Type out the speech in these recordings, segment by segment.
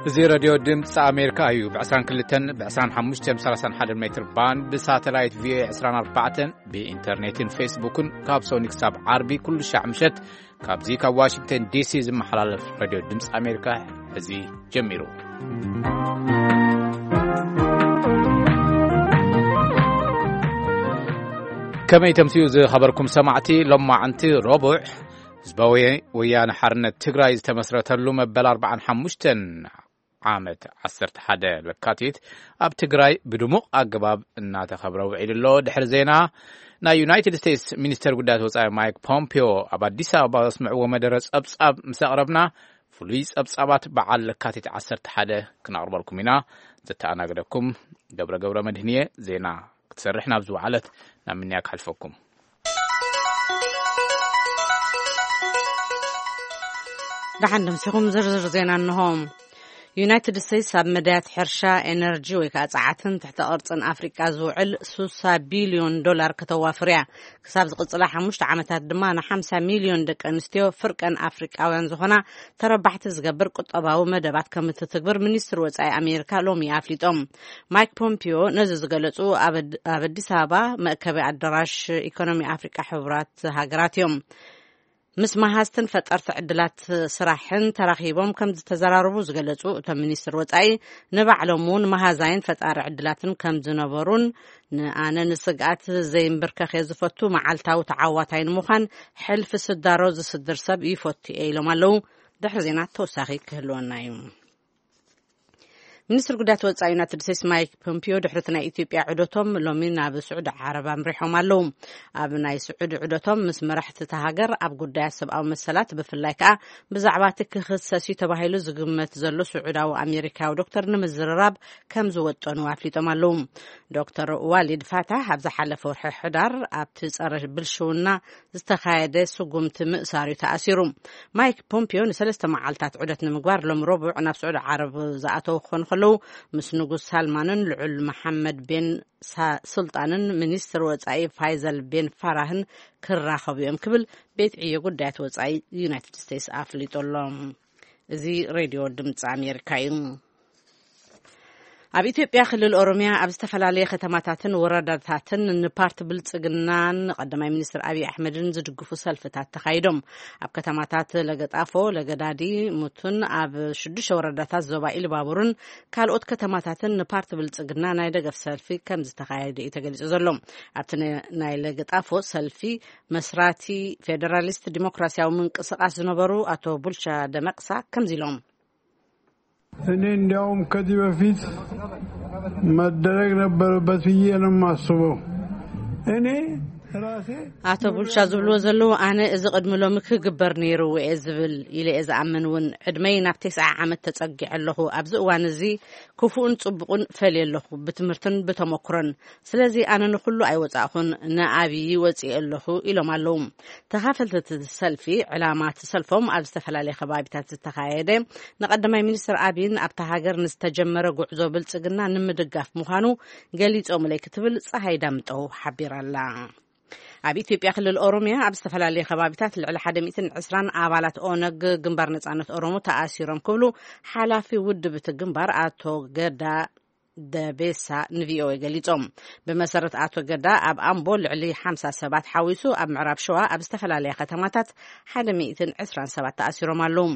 እዚ ሬድዮ ድምፂ ኣሜሪካ እዩ። ብ22፣ ብ25፣ ብ31 ሜትር ባንድ፣ ብሳተላይት ቪኦኤ 24፣ ብኢንተርኔትን ፌስቡክን ካብ ሶኒ ክሳብ ዓርቢ ኩሉ ሻዕ ምሸት ካብዚ ካብ ዋሽንግተን ዲሲ ዝመሓላለፍ ሬድዮ ድምፂ ኣሜሪካ እዚ ጀሚሩ። ከመይ ተምስዩ ዝኸበርኩም ሰማዕቲ፣ ሎማዕንቲ ረቡዕ ህዝባዊ ወያነ ሓርነት ትግራይ ዝተመስረተሉ መበል ኣርባዓን ሓሙሽተን ዓመት ዓሰርተ ሓደ ለካቲት ኣብ ትግራይ ብድሙቕ ኣገባብ እናተኸብረ ውዒሉ ኣሎ። ድሕሪ ዜና፣ ናይ ዩናይትድ ስቴትስ ሚኒስተር ጉዳያት ወጻኢ ማይክ ፖምፒዮ ኣብ ኣዲስ ኣበባ ዘስምዕዎ መደረ ጸብጻብ ምስ ኣቕረብና፣ ፍሉይ ጸብጻባት በዓል ለካቲት ዓሰርተ ሓደ ክነቕርበልኩም ኢና። ዘተኣናግደኩም ገብረ ገብረ መድህንየ። ዜና ክትሰርሕ ናብ ዝወዓለት ናብ ምንያ ክሓልፈኩም። ደሓን ደምሲኹም ዝርዝር ዜና እንሆ። ዩናይትድ ስቴትስ ኣብ መዳያት ሕርሻ፣ ኤነርጂ ወይ ከዓ ጸዓትን ትሕተ ቅርጽን ኣፍሪቃ ዝውዕል ሱሳ ቢልዮን ዶላር ከተዋፍር እያ። ክሳብ ዝቕጽላ ሓሙሽተ ዓመታት ድማ ን50 ሚልዮን ደቂ ኣንስትዮ ፍርቀን ኣፍሪቃውያን ዝኾና ተረባሕቲ ዝገብር ቁጠባዊ መደባት ከም እትትግብር ሚኒስትር ወጻኢ ኣሜሪካ ሎሚ ኣፍሊጦም። ማይክ ፖምፒዮ ነዚ ዝገለጹ ኣብ ኣድ-፣ ኣብ ኣዲስ ኣበባ መእከቢ ኣዳራሽ ኢኮኖሚ ኣፍሪቃ ሕቡራት ሃገራት እዮም። ምስ መሃዝትን ፈጠርቲ ዕድላት ስራሕን ተራኺቦም ከም ዝተዘራረቡ ዝገለጹ እቶም ሚኒስትር ወጻኢ፣ ንባዕሎም እውን መሃዛይን ፈጣሪ ዕድላትን ከም ዝነበሩን ንኣነ ንስግኣት ዘይምብርከኽ እየ ዝፈቱ፣ መዓልታዊ ተዓዋታይ ንምዃን ሕልፊ ስዳሮ ዝስድር ሰብ ይፈቱ እየ ኢሎም ኣለዉ። ድሕሪ ዜና ተወሳኺ ክህልወና እዩ። ሚኒስትር ጉዳያት ወጻኢ ዩናይትድ ስቴትስ ማይክ ፖምፒዮ ድሕሪ እቲ ናይ ኢትዮጵያ ዑደቶም ሎሚ ናብ ስዑዲ ዓረብ ኣምሪሖም ኣለዉ። ኣብ ናይ ስዑዲ ዑደቶም ምስ መራሕቲ እታ ሃገር ኣብ ጉዳያት ሰብኣዊ መሰላት፣ ብፍላይ ከኣ ብዛዕባ እቲ ክኽሰስ እዩ ተባሂሉ ዝግመት ዘሎ ስዑዳዊ ኣሜሪካዊ ዶክተር ንምዝርራብ ከም ዝወጠኑ ኣፍሊጦም ኣለዉ። ዶክተር ዋሊድ ፋታህ ኣብ ዝሓለፈ ወርሒ ሕዳር ኣብቲ ጸረ ብልሽውና ዝተኻየደ ስጉምቲ ምእሳር እዩ ተኣሲሩ። ማይክ ፖምፒዮ ንሰለስተ መዓልታት ዑደት ንምግባር ሎም ረቡዕ ናብ ስዑዲ ዓረብ ዝኣተው ክኾኑ ከለዉ፣ ምስ ንጉስ ሳልማንን ልዑል መሓመድ ቤን ሳ-፣ ሱልጣንን ሚኒስትር ወጻኢ ፋይዘል ቤን ፋራህን ክራኸቡ እዮም ክብል ቤት ዕዮ ጉዳያት ወጻኢ ዩናይትድ ስቴትስ ኣፍሊጡ ኣሎ። እዚ ሬድዮ ድምፂ ኣሜሪካ እዩ። ኣብ ኢትዮጵያ ክልል ኦሮሚያ ኣብ ዝተፈላለየ ከተማታትን ወረዳታትን ንፓርቲ ብልጽግናን ቀዳማይ ሚኒስትር ኣብይ ኣሕመድን ዝድግፉ ሰልፍታት ተኻይዶም። ኣብ ከተማታት ለገጣፎ፣ ለገዳዲ፣ ሙቱን ኣብ ሽዱሽተ ወረዳታት ዞባ ኢሉባቡርን ካልኦት ከተማታትን ንፓርቲ ብልጽግና ናይ ደገፍ ሰልፊ ከም ዝተኻየደ እዩ ተገሊጹ ዘሎ። ኣብቲ ነ-፣ ናይ ለገጣፎ ሰልፊ መስራቲ ፌደራሊስት ዲሞክራሲያዊ ምንቅስቓስ ዝነበሩ ኣቶ ቡልቻ ደመቅሳ ከምዚ ኢሎም። እኔ እንዲያውም ከዚህ በፊት መደረግ ነበረበት ብዬ ነው የማስበው። እኔ ራሴ ኣቶ ቡልቻ ዝብልዎ ዘለዉ፣ ኣነ እዚ ቅድሚ ሎሚ ክግበር ነይርዎ እየ ዝብል ኢለ እየ ዝኣምን እውን። ዕድመይ ናብ ተስዓ ዓመት ተጸጊዐ ኣለኹ። ኣብዚ እዋን እዚ ክፉእን ጽቡቕን ፈልየ ኣለኹ፣ ብትምህርትን ብተመክሮን። ስለዚ ኣነ ንኹሉ ኣይወጻእኹን፣ ንኣብዪ ወጺኤ ኣለኹ ኢሎም ኣለዉ። ተኻፈልቲ እቲ ሰልፊ፣ ዕላማ እቲ ሰልፎም ኣብ ዝተፈላለየ ከባቢታት ዝተኻየደ፣ ንቀዳማይ ሚኒስትር ኣብይን ኣብታ ሃገር ንዝተጀመረ ጉዕዞ ብልጽግና ንምድጋፍ ምዃኑ ገሊጾምለይ ክትብል ጸሃይ ዳምጠው ሓቢራ ኣላ። ኣብ ኢትዮጵያ ክልል ኦሮሚያ ኣብ ዝተፈላለየ ከባቢታት ልዕሊ ሓደ ሚእትን ዕስራን ኣባላት ኦነግ፣ ግንባር ነጻነት ኦሮሞ፣ ተኣሲሮም ክብሉ ሓላፊ ውድብ እቲ ግንባር ኣቶ ገዳ ደቤሳ ንቪኦኤ ገሊጾም። ብመሰረት ኣቶ ገዳ፣ ኣብ ኣምቦ ልዕሊ ሓምሳ ሰባት ሓዊሱ ኣብ ምዕራብ ሸዋ ኣብ ዝተፈላለያ ከተማታት ሓደ ሚእትን ዕስራን ሰባት ተኣሲሮም ኣለዉ።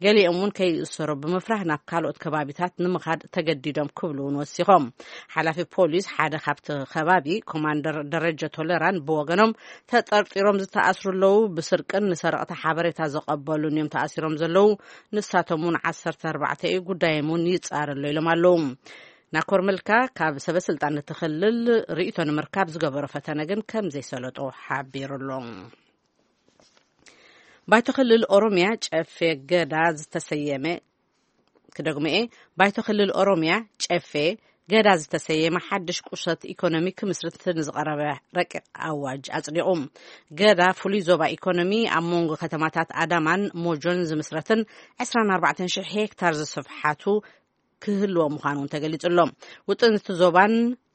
ገሊኦም እውን ከይእሰሩ ብምፍራህ ናብ ካልኦት ከባቢታት ንምኻድ ተገዲዶም ክብሉ እውን ወሲኾም። ሓላፊ ፖሊስ ሓደ ካብቲ ከባቢ ኮማንደር ደረጀ ቶለራን ብወገኖም፣ ተጠርጢሮም ዝተኣስሩ ኣለዉ፣ ብስርቅን ንሰረቕቲ ሓበሬታ ዘቐበሉን እዮም ተኣሲሮም ዘለዉ። ንሳቶም እውን ዓሰርተ ኣርባዕተ እዩ፣ ጉዳዮም እውን ይጻረ ኣሎ ኢሎም ኣለዉ። ናኮር መልካ ካብ ሰበ ስልጣን እቲ ክልል ርእይቶ ንምርካብ ዝገበሮ ፈተነ ግን ከም ዘይሰለጦ ሓቢሩ ኣሎ። ባይቶ ክልል ኦሮሚያ ጨፌ ገዳ ዝተሰየመ፣ ክደግሞ እየ፣ ባይቶ ክልል ኦሮሚያ ጨፌ ገዳ ዝተሰየመ ሓድሽ ቁሸት ኢኮኖሚ ክምስርት ንዝቐረበ ረቂቕ ኣዋጅ ኣጽዲቑ። ገዳ ፍሉይ ዞባ ኢኮኖሚ ኣብ መንጎ ከተማታት ኣዳማን ሞጆን ዝምስረትን ዕስራን ኣርባዕተን ሽሕ ሄክታር ዝስፍሓቱ ክህልዎ ምዃኑ እውን ተገሊጹ ኣሎ። ውጥን እቲ ዞባን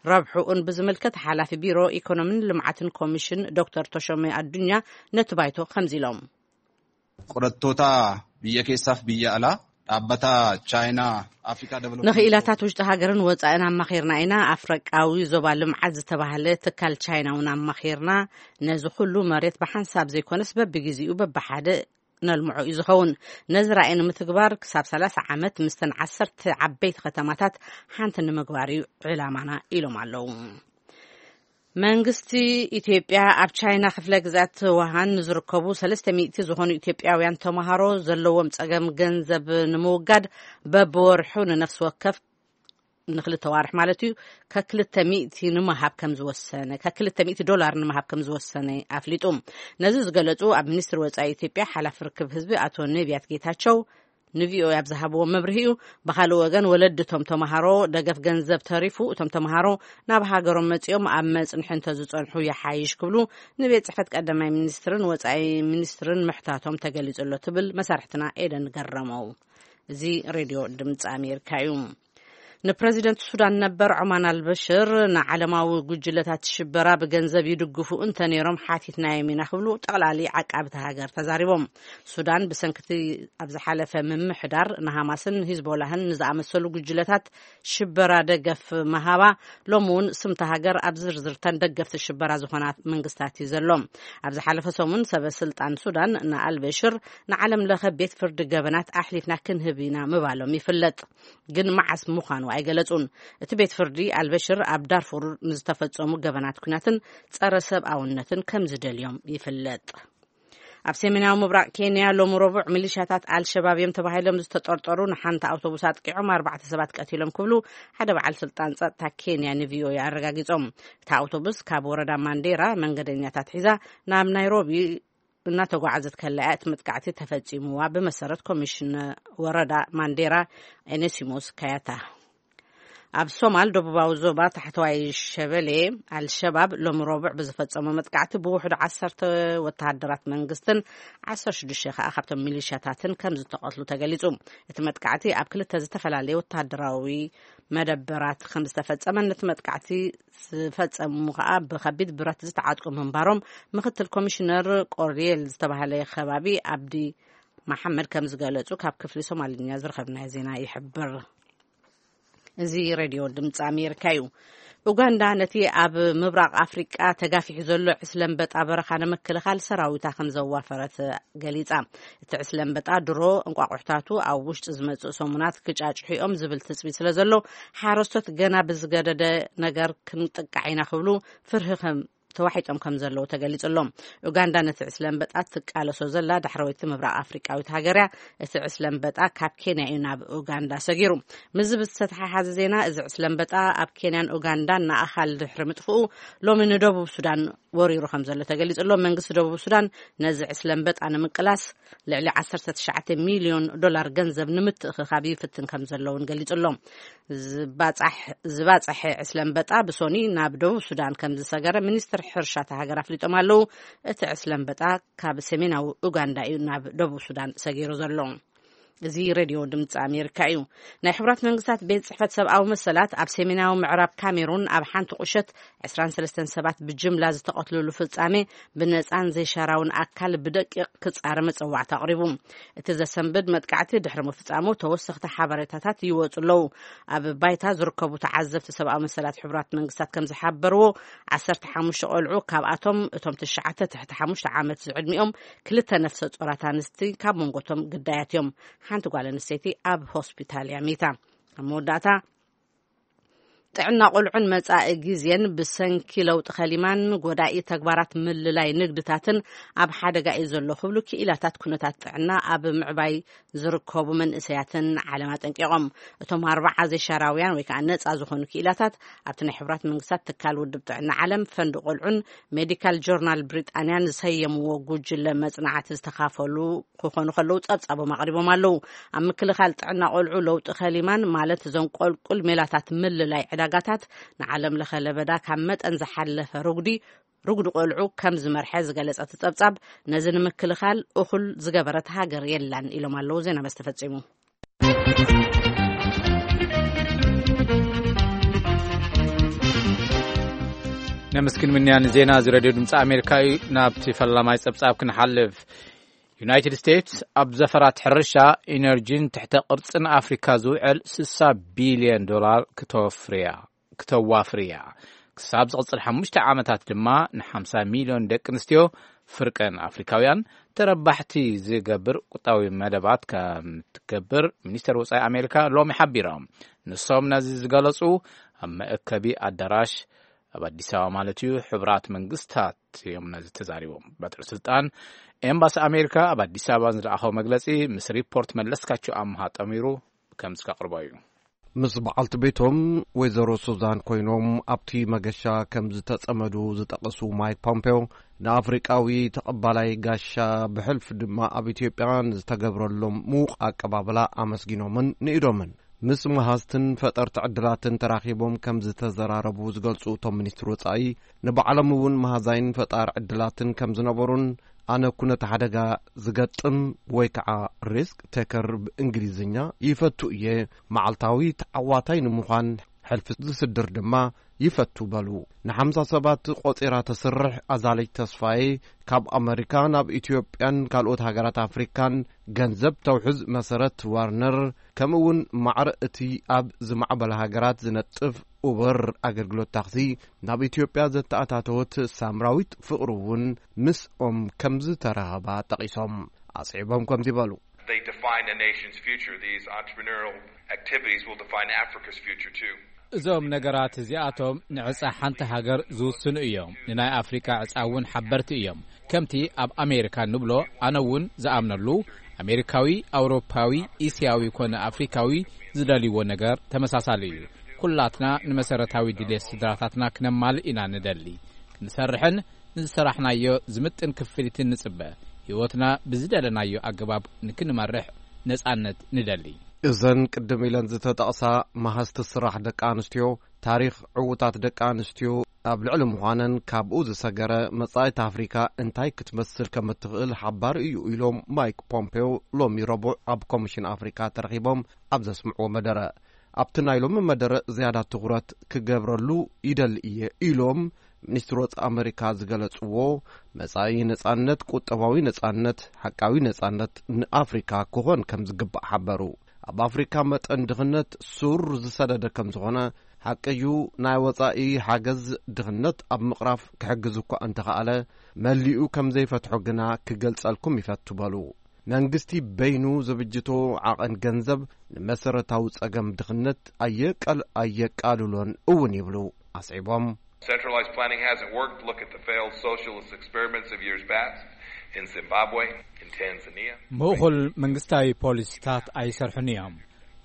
ረብሕኡን ብዝምልከት ሓላፊ ቢሮ ኢኮኖሚን ልምዓትን ኮሚሽን ዶክተር ተሾመ ኣዱኛ ነቲ ባይቶ ከምዚ ኢሎም። Qorattoota biyya keessaaf biyya alaa ኣበታ ቻይና ኣፍሪካ ደቨሎፕመንት ንኽኢላታት ውሽጢ ሃገርን ወጻእን ኣማኺርና ኢና። ኣፍሪቃዊ ዞባ ልምዓት ዝተባህለ ትካል ቻይና እውን ኣማኺርና። ነዚ ኩሉ መሬት ብሓንሳብ ዘይኮነስ በብግዜኡ በብሓደ ነልምዖ እዩ ዝኸውን። ነዚ ራእይ ንምትግባር ክሳብ ሰላሳ ዓመት ምስተን ዓሰርተ ዓበይቲ ከተማታት ሓንቲ ንምግባር እዩ ዕላማና ኢሎም ኣለዉ። መንግስቲ ኢትዮጵያ ኣብ ቻይና ክፍለ ግዛት ውሃን ንዝርከቡ ሰለስተ ሚእቲ ዝኾኑ ኢትዮጵያውያን ተምሃሮ ዘለዎም ጸገም ገንዘብ ንምውጋድ በብወርሑ ንነፍሲ ወከፍ ንክልተ ዋርሕ ማለት እዩ ከክልተ ሚእቲ ንምሃብ ከም ዝወሰነ ከክልተ ሚእቲ ዶላር ንምሃብ ከም ዝወሰነ ኣፍሊጡ። ነዚ ዝገለጹ ኣብ ሚኒስትሪ ወጻኢ ኢትዮጵያ ሓላፊ ርክብ ህዝቢ ኣቶ ነቢያት ጌታቸው ንቪኦኤ ኣብ ዝሃብዎ መብርሂ እዩ። ብኻልእ ወገን ወለድቶም ተምሃሮ ደገፍ ገንዘብ ተሪፉ እቶም ተምሃሮ ናብ ሃገሮም መጺኦም ኣብ መጽንሒ እንተዝጸንሑ ይሓይሽ ክብሉ ንቤት ጽሕፈት ቀዳማይ ሚኒስትርን ወጻኢ ሚኒስትርን ምሕታቶም ተገሊጹ ኣሎ ትብል መሳርሕትና ኤደን ገረመው። እዚ ሬድዮ ድምፂ ኣሜሪካ እዩ። ንፕረዚደንት ሱዳን ነበር ዖማን ኣልበሽር ንዓለማዊ ጉጅለታት ሽበራ ብገንዘብ ይድግፉ እንተነይሮም ሓቲትናዮም ኢና ክብሉ ጠቕላሊ ዓቃብቲ ሃገር ተዛሪቦም። ሱዳን ብሰንክቲ ኣብ ዝሓለፈ ምምሕዳር ንሃማስን ሂዝቦላህን ንዝኣመሰሉ ጉጅለታት ሽበራ ደገፍ መሃባ ሎም እውን ስምቲ ሃገር ኣብ ዝርዝርተን ደገፍቲ ሽበራ ዝኾና መንግስታት እዩ ዘሎ። ኣብ ዝሓለፈ ሰሙን ሰበ ስልጣን ሱዳን ንኣልበሽር ንዓለም ለኸ ቤት ፍርዲ ገበናት ኣሕሊፍና ክንህብ ኢና ምባሎም ይፍለጥ። ግን መዓስ ምዃኑ ኣይገለጹን። እቲ ቤት ፍርዲ ኣልበሽር ኣብ ዳርፉር ንዝተፈጸሙ ገበናት ኩናትን ጸረ ሰብኣውነትን ከም ዝደልዮም ይፍለጥ። ኣብ ሰሜናዊ ምብራቕ ኬንያ ሎም ረቡዕ ሚሊሻታት ኣልሸባብ እዮም ተባሂሎም ዝተጠርጠሩ ንሓንቲ ኣውቶቡስ ኣጥቂዖም ኣርባዕተ ሰባት ቀቲሎም ክብሉ ሓደ በዓል ስልጣን ጸጥታ ኬንያ ንቪኦኤ ኣረጋጊጾም። እታ ኣውቶቡስ ካብ ወረዳ ማንዴራ መንገደኛታት ሒዛ ናብ ናይሮቢ እናተጓዓዘት ከላ እቲ መጥቃዕቲ ተፈጺምዋ ብመሰረት ኮሚሽን ወረዳ ማንዴራ ኤኔሲሞስ ካያታ። ኣብ ሶማል ደቡባዊ ዞባ ታሕተዋይ ሸበሌ ኣልሸባብ ሎም ረቡዕ ብዝፈጸሞ መጥቃዕቲ ብውሕዱ ዓሰርተ ወተሃደራት መንግስትን ዓሰርተ ሽዱሽተ ከዓ ካብቶም ሚሊሻታትን ከም ዝተቐትሉ ተገሊጹ። እቲ መጥቃዕቲ ኣብ ክልተ ዝተፈላለየ ወተሃደራዊ መደበራት ከም ዝተፈጸመን ነቲ መጥቃዕቲ ዝፈጸሙ ከዓ ብከቢድ ብረት ዝተዓጥቁ ምንባሮም ምክትል ኮሚሽነር ቆርዲየል ዝተባህለ ከባቢ ኣብዲ መሓመድ ከም ዝገለጹ ካብ ክፍሊ ሶማልኛ ዝረኸብናዮ ዜና ይሕብር። እዚ ሬድዮ ድምፂ ኣሜሪካ እዩ። ኡጋንዳ ነቲ ኣብ ምብራቕ ኣፍሪቃ ተጋፊሑ ዘሎ ዕስለ ኣንበጣ በረኻ ንምክልኻል ሰራዊታ ከም ዘዋፈረት ገሊጻ። እቲ ዕስለ ኣንበጣ ድሮ እንቋቑሕታቱ ኣብ ውሽጢ ዝመጽእ ሰሙናት ክጫጭሑ እዮም ዝብል ትጽቢት ስለ ዘሎ ሓረስቶት ገና ብዝገደደ ነገር ክንጥቃዕ ኢና ክብሉ ፍርሂ ከም ተዋሒጦም ከም ዘለዉ ተገሊጹ ኣሎ። ኡጋንዳ ነቲ ዕስለ ኣንበጣ ትቃለሶ ዘላ ዳሕረወይቲ ምብራቕ ኣፍሪቃዊት ሃገር እያ። እቲ ዕስለ ኣንበጣ ካብ ኬንያ እዩ ናብ ኡጋንዳ ሰጊሩ። ምስዚ ብዝተተሓሓዘ ዜና፣ እዚ ዕስለ ኣንበጣ ኣብ ኬንያን ኡጋንዳን ንኣኻል ድሕሪ ምጥፍኡ ሎሚ ንደቡብ ሱዳን ወሪሩ ከም ዘሎ ተገሊጹ ኣሎ። መንግስቲ ደቡብ ሱዳን ነዚ ዕስለ ኣንበጣ ንምቅላስ ልዕሊ ዓሰርተ ትሽዓተ ሚልዮን ዶላር ገንዘብ ንምትእኽኻብ ይፍትን ከም ዘሎ እውን ገሊጹ ኣሎ። ዝባጻሕ-፣ ዝባጸሐ ዕስለ ኣንበጣ ብሶኒ ናብ ደቡብ ሱዳን ከም ዝሰገረ ሚኒስትር ሕርሻ እታ ሃገር ኣፍሊጦም ኣለዉ። እቲ ዕስለ ኣንበጣ ካብ ሰሜናዊ ኡጋንዳ እዩ ናብ ደቡብ ሱዳን ሰጊሩ ዘሎ። እዚ ሬድዮ ድምፂ ኣሜሪካ እዩ። ናይ ሕቡራት መንግስታት ቤት ጽሕፈት ሰብኣዊ መሰላት ኣብ ሰሜናዊ ምዕራብ ካሜሩን ኣብ ሓንቲ ቁሸት ዕስራን ሰለስተን ሰባት ብጅምላ ዝተቐትልሉ ፍጻሜ ብነጻን ዘይሻራውን ኣካል ብደቂቕ ክጻረ መጸዋዕታ ኣቕሪቡ። እቲ ዘሰንብድ መጥቃዕቲ ድሕሪ ምፍጻሙ ተወሰኽቲ ሓበሬታታት ይወጹ ኣለዉ። ኣብ ባይታ ዝርከቡ ተዓዘብቲ ሰብኣዊ መሰላት ሕቡራት መንግስታት ከም ዝሓበርዎ፣ ዓሰርተ ሓሙሽተ ቆልዑ፣ ካብኣቶም እቶም ትሽዓተ ትሕቲ ሓሙሽተ ዓመት ዝዕድሚኦም፣ ክልተ ነፍሰ ጾራት ኣንስቲ ካብ መንጎቶም ግዳያት እዮም። ሓንቲ ጓል ኣንስተይቲ ኣብ ሆስፒታል እያ ሚታ። ኣብ መወዳእታ፣ ጥዕና ቆልዑን መጻኢ ግዜን ብሰንኪ ለውጢ ከሊማን ጎዳኢ ተግባራት ምልላይ ንግድታትን ኣብ ሓደጋ እዩ ዘሎ ክብሉ ክኢላታት ኩነታት ጥዕና ኣብ ምዕባይ ዝርከቡ መንእሰያትን ዓለም ኣጠንቂቖም። እቶም ኣርባዓ ዘይሻራውያን ወይ ከዓ ነጻ ዝኾኑ ክኢላታት ኣብቲ ናይ ሕቡራት መንግስታት ትካል ውድብ ጥዕና ዓለም ፈንድ ቆልዑን ሜዲካል ጆርናል ብሪጣንያን ዝሰየምዎ ጉጅለ መጽናዕቲ ዝተኻፈሉ ክኾኑ ከለዉ ጸብጻቦም ኣቕሪቦም ኣለዉ። ኣብ ምክልኻል ጥዕና ቆልዑ ለውጢ ከሊማን ማለት እዞን ቆልቁል ሜላታት ምልላይ ዕዳጋታት ንዓለም ለኸ ለበዳ ካብ መጠን ዝሓለፈ ርጉዲ ርጉዲ ቆልዑ ከም ዝመርሐ ዝገለጸ እቲ ጸብጻብ ነዚ ንምክልኻል እኹል ዝገበረት ሃገር የላን ኢሎም ኣለዉ። ዜና መስተ ፈጺሙ። ነመስግን ምንያ ንዜና እዚ ሬድዮ ድምፂ ኣሜሪካ እዩ። ናብቲ ፈላማይ ጸብጻብ ክንሓልፍ። ዩናይትድ ስቴትስ ኣብ ዘፈራት ሕርሻ፣ ኢነርጂን ትሕተ ቅርጽን ኣፍሪካ ዝውዕል ስሳ ቢልዮን ዶላር ክተወፍር እያ፣ ክተዋፍር እያ። ክሳብ ዝቕጽል ሓሙሽተ ዓመታት ድማ ንሓምሳ ሚልዮን ደቂ ኣንስትዮ ፍርቀን ኣፍሪካውያን ተረባሕቲ ዝገብር ቁጣዊ መደባት ከም ትገብር ሚኒስተር ወጻኢ ኣሜሪካ ሎሚ ሓቢሮም። ንሶም ነዚ ዝገለጹ ኣብ መእከቢ ኣዳራሽ ኣብ ኣዲስ ኣበባ ማለት እዩ፣ ሕቡራት መንግስታት እዮም ነዚ ተዛሪቦም። በትሪ ስልጣን ኤምባሲ ኣሜሪካ ኣብ ኣዲስ ኣበባ ዝለኣኸው መግለጺ ምስ ሪፖርት መለስካቸው ኣምሃ ጠሚሩ ከም ዝከቕርቦ እዩ። ምስ በዓልቲ ቤቶም ወይዘሮ ሱዛን ኮይኖም ኣብቲ መገሻ ከም ዝተጸመዱ ዝጠቐሱ ማይክ ፖምፔዮ፣ ንኣፍሪቃዊ ተቐባላይ ጋሻ ብሕልፊ ድማ ኣብ ኢትዮጵያ ንዝተገብረሎም ምዉቕ ኣቀባብላ ኣመስጊኖምን ንኢዶምን። ምስ መሃዝትን ፈጠርቲ ዕድላትን ተራኺቦም ከም ዝተዘራረቡ ዝገልጹ እቶም ሚኒስትር ወጻኢ፣ ንባዕሎም እውን መሃዛይን ፈጣር ዕድላትን ከም ዝነበሩን ኣነ ኩነተ ሓደጋ ዝገጥም ወይ ከዓ ሪስክ ቴከር ብእንግሊዝኛ ይፈቱ እየ፣ መዓልታዊ ተዓዋታይ ንምዃን ሕልፊ ዝስድር ድማ ይፈቱ በሉ። ንሓምሳ ሰባት ቆጺራ ተስርሕ ኣዛለጅ ተስፋዬ ካብ ኣመሪካ ናብ ኢትዮጵያን ካልኦት ሃገራት ኣፍሪካን ገንዘብ ተውሕዝ መሰረት ዋርነር፣ ከምኡ እውን ማዕረ እቲ ኣብ ዝማዕበለ ሃገራት ዝነጥፍ ኡበር ኣገልግሎት ታክሲ ናብ ኢትዮጵያ ዘተኣታተወት ሳምራዊት ፍቕሩ እውን ምስኦም ከም ዝተራኸባ ጠቒሶም ኣስዒቦም ከምዚ በሉ። They define a nation's future. These entrepreneurial activities will define Africa's future too. እዞም ነገራት እዚኣቶም ንዕጻ ሓንቲ ሃገር ዝውስኑ እዮም። ንናይ ኣፍሪካ ዕጻ እውን ሓበርቲ እዮም። ከምቲ ኣብ ኣሜሪካ ንብሎ፣ ኣነ እውን ዝኣምነሉ፣ ኣሜሪካዊ፣ ኣውሮፓዊ፣ እስያዊ ኮነ ኣፍሪካዊ ዝደልይዎ ነገር ተመሳሳሊ እዩ። ኩላትና ንመሰረታዊ ድሌት ስድራታትና ክነማልእ ኢና ንደሊ። ክንሰርሕን ንዝሰራሕናዮ ዝምጥን ክፍሊትን ንጽበ። ህይወትና ብዝደለናዮ ኣገባብ ንክንመርሕ ነጻነት ንደሊ። እዘን ቅድም ኢለን ዝተጠቕሳ መሃዝቲ ስራሕ ደቂ ኣንስትዮ፣ ታሪኽ ዕዉታት ደቂ ኣንስትዮ ኣብ ልዕሊ ምዃነን ካብኡ ዝሰገረ መጻኢት ኣፍሪካ እንታይ ክትመስል ከም እትኽእል ሓባሪ እዩ ኢሎም ማይክ ፖምፔዮ ሎሚ ረቡዕ ኣብ ኮሚሽን ኣፍሪካ ተረኺቦም ኣብ ዘስምዕዎ መደረ። ኣብቲ ናይ ሎሚ መደረ ዝያዳ ትኹረት ክገብረሉ ይደሊ እየ ኢሎም ሚኒስትር ወጻኢ ኣመሪካ ዝገለጽዎ፣ መጻኢ ነጻነት፣ ቁጠባዊ ነጻነት፣ ሓቃዊ ነጻነት ንኣፍሪካ ክኾን ከም ዝግባእ ሓበሩ። ኣብ ኣፍሪካ መጠን ድኽነት ሱር ዝሰደደ ከም ዝኾነ ሓቂ እዩ። ናይ ወጻኢ ሓገዝ ድኽነት ኣብ ምቕራፍ ክሕግዝ እኳ እንተኸኣለ፣ መሊኡ ከም ዘይፈትሖ ግና ክገልጸልኩም ይፈቱ በሉ። መንግስቲ በይኑ ዝብጅቶ ዓቐን ገንዘብ ንመሰረታዊ ጸገም ድኽነት ኣየቀል-፣ ኣየቃልሎን እውን ይብሉ ኣስዒቦም። Centralized planning hasn't worked. Look at the failed socialist experiments of years past in Zimbabwe, in Tanzania. ምእኹል መንግስታዊ ፖሊሲታት ኣይሰርሑን እዮም።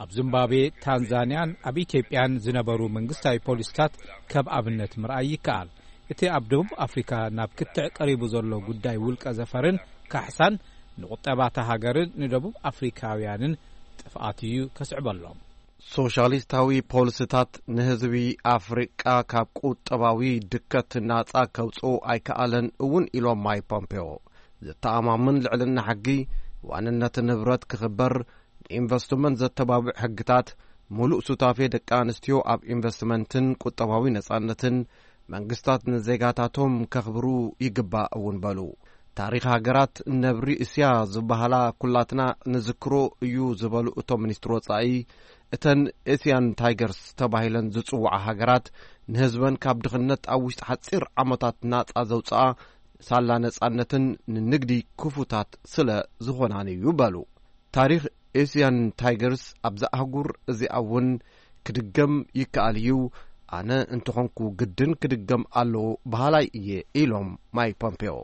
ኣብ ዚምባብዌ፣ ታንዛንያን ኣብ ኢትዮጵያን ዝነበሩ መንግስታዊ ፖሊሲታት ከም ኣብነት ምርኣይ ይከኣል። እቲ ኣብ ደቡብ ኣፍሪካ ናብ ክትዕ ቀሪቡ ዘሎ ጉዳይ ውልቀ ዘፈርን ካሕሳን ንቁጠባታ ሃገርን ንደቡብ ኣፍሪካውያንን ጥፍኣት እዩ ከስዕበሎም። ሶሻሊስታዊ ፖሊሲታት ንህዝቢ ኣፍሪቃ ካብ ቁጠባዊ ድከት ናጻ ከውጽኡ ኣይከኣለን እውን ኢሎም ማይክ ፖምፔዮ። ዘተኣማምን ልዕልና ሕጊ፣ ዋንነት ንብረት ክኽበር፣ ንኢንቨስትመንት ዘተባብዕ ሕግታት፣ ሙሉእ ሱታፌ ደቂ ኣንስትዮ ኣብ ኢንቨስትመንትን ቁጠባዊ ነጻነትን፣ መንግስታት ንዜጋታቶም ከኽብሩ ይግባእ እውን በሉ። ታሪኽ ሃገራት ነብሪ እስያ ዝበሃላ ኩላትና ንዝክሮ እዩ ዝበሉ እቶም ሚኒስትር ወጻኢ፣ እተን ኤስያን ታይገርስ ተባሂለን ዝጽውዓ ሃገራት ንህዝበን ካብ ድኽነት ኣብ ውሽጢ ሓጺር ዓመታት ናጻ ዘውጽኣ ሳላ ነጻነትን ንንግዲ ክፉታት ስለ ዝኾናን እዩ በሉ። ታሪኽ ኤስያን ታይገርስ ኣብዛ ኣህጉር እዚኣ እውን ክድገም ይከኣል እዩ። ኣነ እንተኾንኩ ግድን ክድገም ኣለዎ በሃላይ እየ ኢሎም ማይክ ፖምፔዮ።